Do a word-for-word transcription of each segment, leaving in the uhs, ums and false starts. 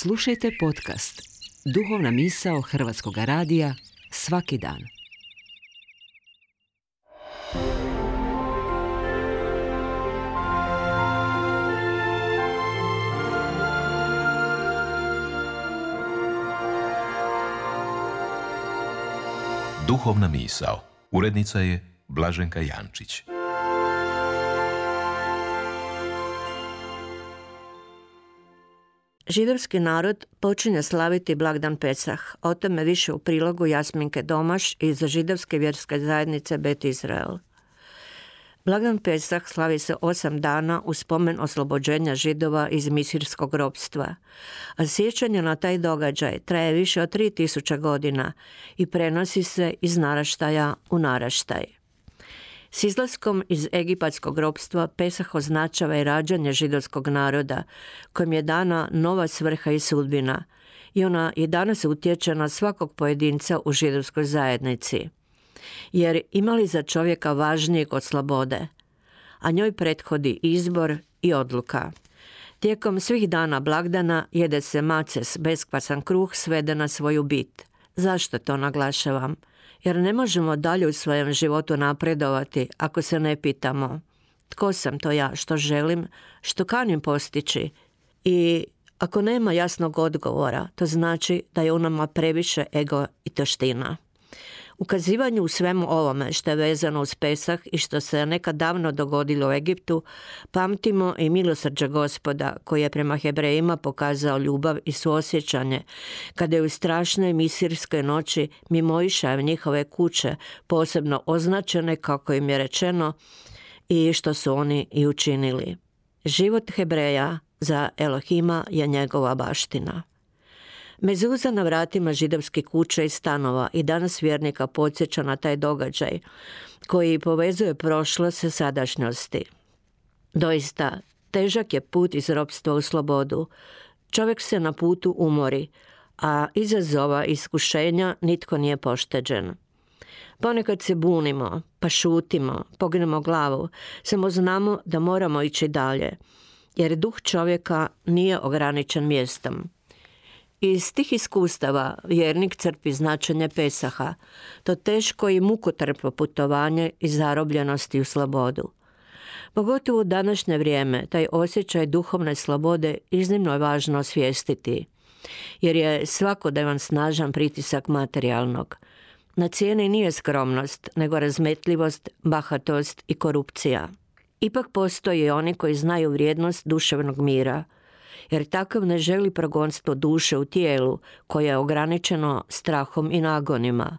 Slušajte podcast Duhovna misao Hrvatskog radija svaki dan. Duhovna misao. Urednica je Blaženka Jančić. Židovski narod počinje slaviti blagdan Pesah. O tome više u prilogu Jasminke Domaš iz židovske vjerske zajednice Bet Izrael. Blagdan Pesah slavi se osam dana u spomen oslobođenja Židova iz misirskog ropstva, a sjećanje na taj događaj traje više od tri tisuće godina i prenosi se iz naraštaja u naraštaj. S izlaskom iz egipatskog ropstva Pesah označava i rađanje židovskog naroda, kojem je dana nova svrha i sudbina, i ona i danas utječe na svakog pojedinca u židovskoj zajednici. Jer ima li za čovjeka važnijeg od slobode, a njoj prethodi izbor i odluka. Tijekom svih dana blagdana jede se maces, beskvasan kruh svede na svoju bit. Zašto to naglašavam? Jer ne možemo dalje u svojem životu napredovati ako se ne pitamo tko sam to ja, što želim, što kanim postići. I ako nema jasnog odgovora, to znači da je u nama previše ego i taština. Ukazivanje u svemu ovome što je vezano uz Pesah i što se nekad davno dogodilo u Egiptu, pamtimo i milosrđe Gospoda koji je prema Hebrejima pokazao ljubav i suosjećanje kada je u strašnoj misirskoj noći mimo išaja njihove kuće posebno označene kako im je rečeno i što su oni i učinili. Život Hebreja za Elohima je njegova baština. Mezuza na vratima židovskih kuća i stanova i danas vjernika podsjeća na taj događaj koji povezuje prošlost sa sadašnjosti. Doista, težak je put iz ropstva u slobodu. Čovjek se na putu umori, a izazova iskušenja nitko nije pošteđen. Ponekad se bunimo, pa šutimo, pognemo glavu, samo znamo da moramo ići dalje, jer duh čovjeka nije ograničen mjestom. Iz tih iskustava vjernik crpi značenje Pesaha, to teško i mukotrpno putovanje iz zarobljenosti u slobodu. Pogotovo u današnje vrijeme taj osjećaj duhovne slobode iznimno je važno osvijestiti, jer je svakodnevan snažan pritisak materijalnog. Na cijeni nije skromnost, nego razmetljivost, bahatost i korupcija. Ipak postoje oni koji znaju vrijednost duševnog mira, jer takav ne želi progonstvo duše u tijelu koje je ograničeno strahom i nagonima.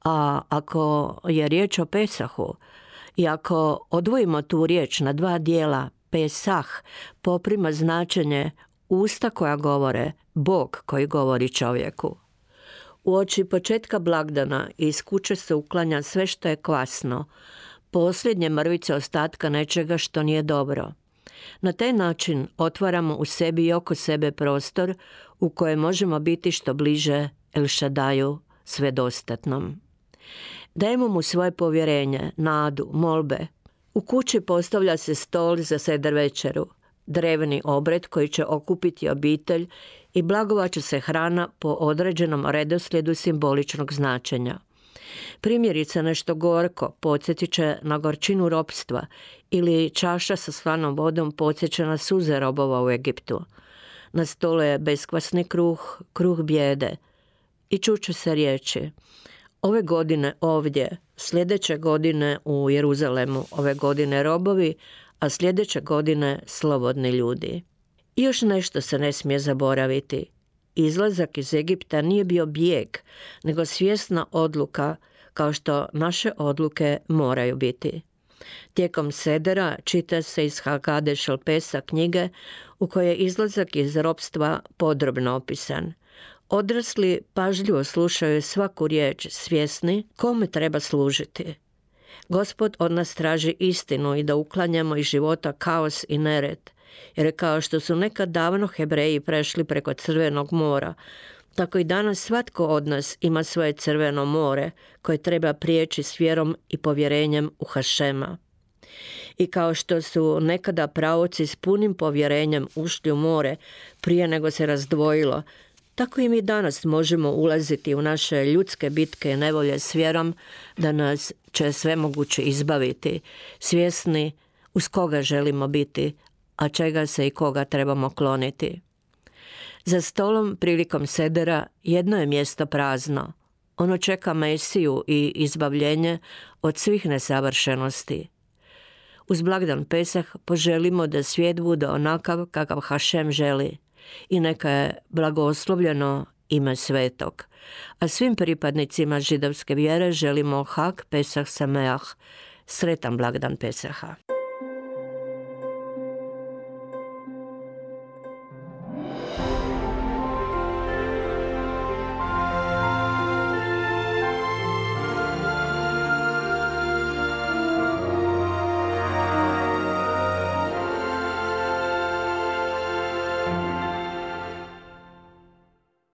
A ako je riječ o Pesahu i ako odvojimo tu riječ na dva dijela, Pesah poprima značenje usta koja govore, Bog koji govori čovjeku. Uoči početka blagdana iz kuće se uklanja sve što je kvasno, posljednje mrvice ostatka nečega što nije dobro. Na taj način otvaramo u sebi i oko sebe prostor u kojem možemo biti što bliže El Šadaju, svedostatnom. Dajemo mu svoje povjerenje, nadu, molbe. U kući postavlja se stol za seder večeru, drevni obred koji će okupiti obitelj i blagovat će se hrana po određenom redoslijedu simboličnog značenja. Primjerice nešto gorko podsjetit će na gorčinu ropstva ili čaša sa slanom vodom podsjeća na suze robova u Egiptu. Na stolu je beskvasni kruh, kruh bijede i čuće se riječi: ove godine ovdje, sljedeće godine u Jeruzalemu, ove godine robovi, a sljedeće godine slobodni ljudi. I još nešto se ne smije zaboraviti. Izlazak iz Egipta nije bio bijeg, nego svjesna odluka, kao što naše odluke moraju biti. Tijekom sedera čita se iz Hagade Šel Pesah knjige u kojoj je izlazak iz ropstva podrobno opisan. Odrasli pažljivo slušaju svaku riječ, svjesni kome treba služiti. Gospod od nas traži istinu i da uklanjamo iz života kaos i nered, jer kao što su nekad davno Hebreji prešli preko Crvenog mora, tako i danas svatko od nas ima svoje crveno more koje treba prijeći s vjerom i povjerenjem u Hašema. I kao što su nekada praoci s punim povjerenjem ušli u more prije nego se razdvojilo, tako i mi danas možemo ulaziti u naše ljudske bitke i nevolje s vjerom da nas će svemoguće izbaviti, svjesni uz koga želimo biti, a čega se i koga trebamo kloniti. Za stolom prilikom sedera jedno je mjesto prazno. Ono čeka Mesiju i izbavljenje od svih nesavršenosti. Uz blagdan Pesah poželimo da svijet bude onakav kakav Hašem želi i neka je blagoslovljeno ime Svetog. A svim pripadnicima židovske vjere želimo Hag Pesach Sameach, sretan blagdan Pesaha.